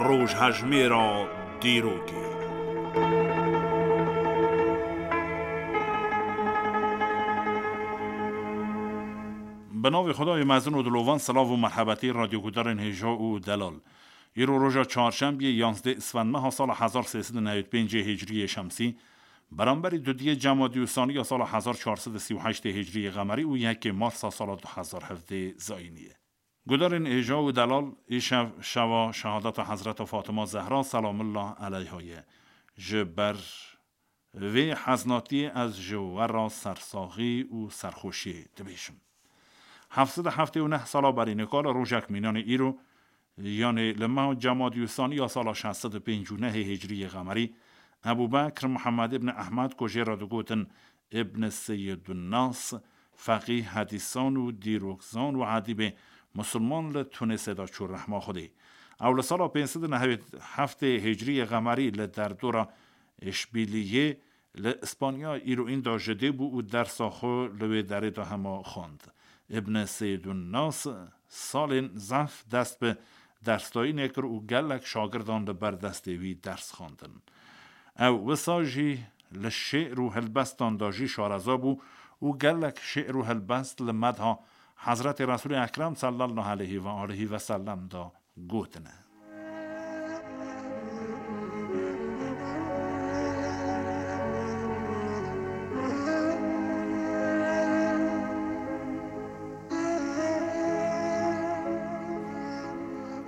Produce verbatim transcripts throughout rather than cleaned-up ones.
Rojhejmêra dîrokê. Bi navê Xwedayê mezin û dilovan, silav û merhebetî radyogudarên hêja û delal. Îro roja çarşembiyê, yanzdeh Isfendmeha sala hezar sê sed û newêd pêncê Hicriyê Şemsî, beramberî dudiyê Cemadî û Sanî ya sala hezar çar sed û sî û heştê Hicriyê Qemerî û yekê Marsa sala du hezar hevdê Zayînî ye. Gudarên hêja û delal, îşev şeva şehadeta Hezreta Fatima Zehra selamullah eleyha ye. Ji ber vê heznatiyê ez ji we re sersaxî û serxweşiyê dibêjim. Heft sed û heftê û neh sala berî nika li rojek mînanê îro, yanê li meha Cemadî û Sanî ya sala şeş sed û pêncî û nehê Hicriyê Qemerî, Ebû Bekr Muhammed ibn Ehmed, ku jê re digotin Ibn Seyyidunnas, feqîh, hedîsan û dîrokzan û edîbê musulman, li Tunusê de çû rehma Xwedê. Ew li sala pênc sed û nehewêd heftê Hicriyê Qemerî li derdora Îşbîliyê li Îspanya îroîn de ji dê bû û dersa xwe li wê derê de hema xwend. Ibn Seydunnas salên zehf dest bi dersdayînê kir û gelek şagirdan li ber destê wî ders xwendin. Ew wisa jî li şê'r û helbestan de jî şareza bû û gelek şê'r û helbest li medha Hezretê Resûlê Ekrem sallallahu aleyhi ve aleyhi ve sellem de gotine.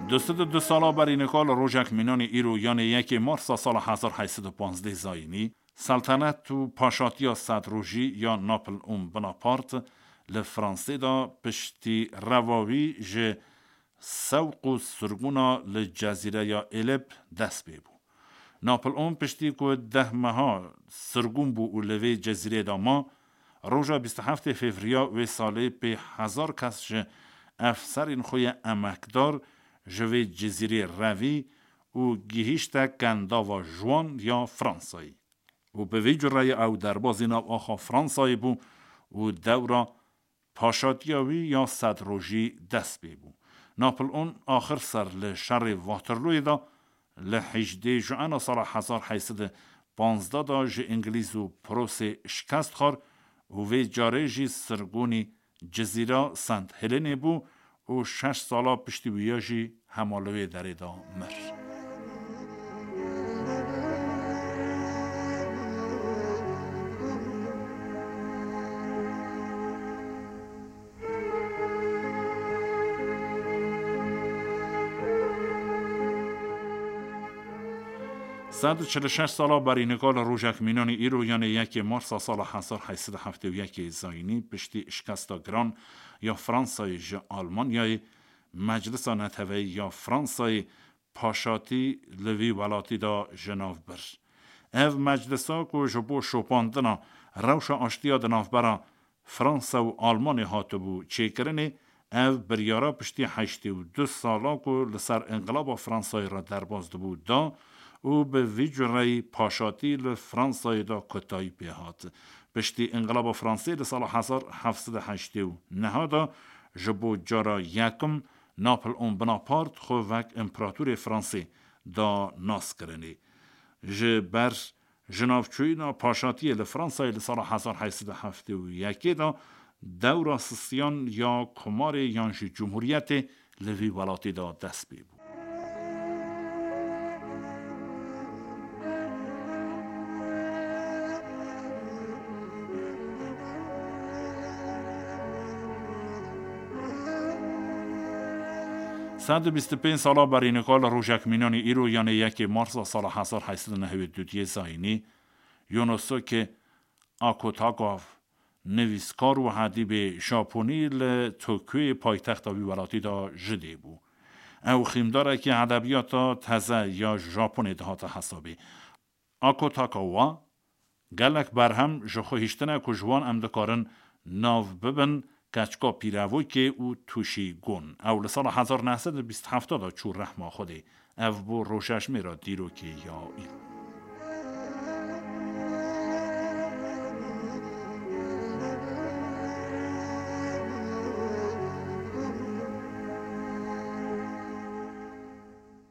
Du sed û du sala berî nika li rojek mînanî îro, yanê yekê Marsa sala hezar heyt sed û panzdeh Zayînî, Seltenet û paşatiya sed rojî ya Napoleon Bonaparte li Fransê de piştî reva wî ji sewq û sirgûna li cezîreya Êlib dest pê bû. Napoleon piştî ku deh meha sirgûn bû û li vê cezîrê de ma, roja bîst û heftê Fevriya wê salê pê hezar kes ji efserên xwe yê emekdar ji vê cezîrê revî û gihîşte Kendava Juan ya Fransayê. Û bi vî cureyê ew derbazî nav axa Fransayê bû û dewra paşatiya wî ya sed rojî dest pê bû. Napoleon axir ser li şerê Waterlooyê de li hejdê Juena sala hezar heyt sed û panzdeh de ji Îngilîz û Prusê şikest xwar û vê carê jî sirgûnî cizîra Sent Helenê bû û şeş sala piştî wîya jî hema li wê derê de mir. Sed û çil û şeş sala berî nika li rojek mînanî îro, yanê yekê Marsa sala hezar heyt sed û heftê û yekê Zayînî, piştî şikesta giran ya Fransayê ji Almanyayê, Meclisa Neteweyî ya Fransayê paşatî li vî welatî de ji nav bir. Ev meclisa ku ji bo şopandina rewşa aştiya di navbera Fransa û Almanê hatibû çêkirinê, ev biryara piştî heştê û du sala ku li ser Înqilaba Fransayê re derbas dibû da û bi vî cureyî paşatî li Fransayê de kotayî pê hat. Piştî Înqilaba Fransê li sala hezar heft sed û heştê û neh de ji bo cara yekim Napoleon Bonaparte xwe wek împeratorê Fransê da naskirinê. Ji ber jinavçûyîna paşatiyê li Fransayê li sala hezar heyt sed û heftê û yekê de dewra sistiyan ya komarê yan jî cumhuriyetê li vî welatî de dest pê bû. Sed û bîst û pênc sala berî nika li rojek mînanî îro, yanê yekê Marsa sala hezar heyt sed û nehewêd û duyê Zayînî, Yonosuke Akutagawa, nivîskar û edîbê Japonî, li Tokyoyê paytexta wî welatî de ji dê bû. Ew xîmdarekî edebiyata teze ya Japonê dihate hesabê. Akutagawa gelek berhem ji xwe hiştine ku ji wan em dikarin nav bibin keçika pîrevokê û tûşî gon. Ew li sala hezar neh sed û bîst û heft de çû rehma Xwedê. Ev bû rojejmêra dîrokê ya îro.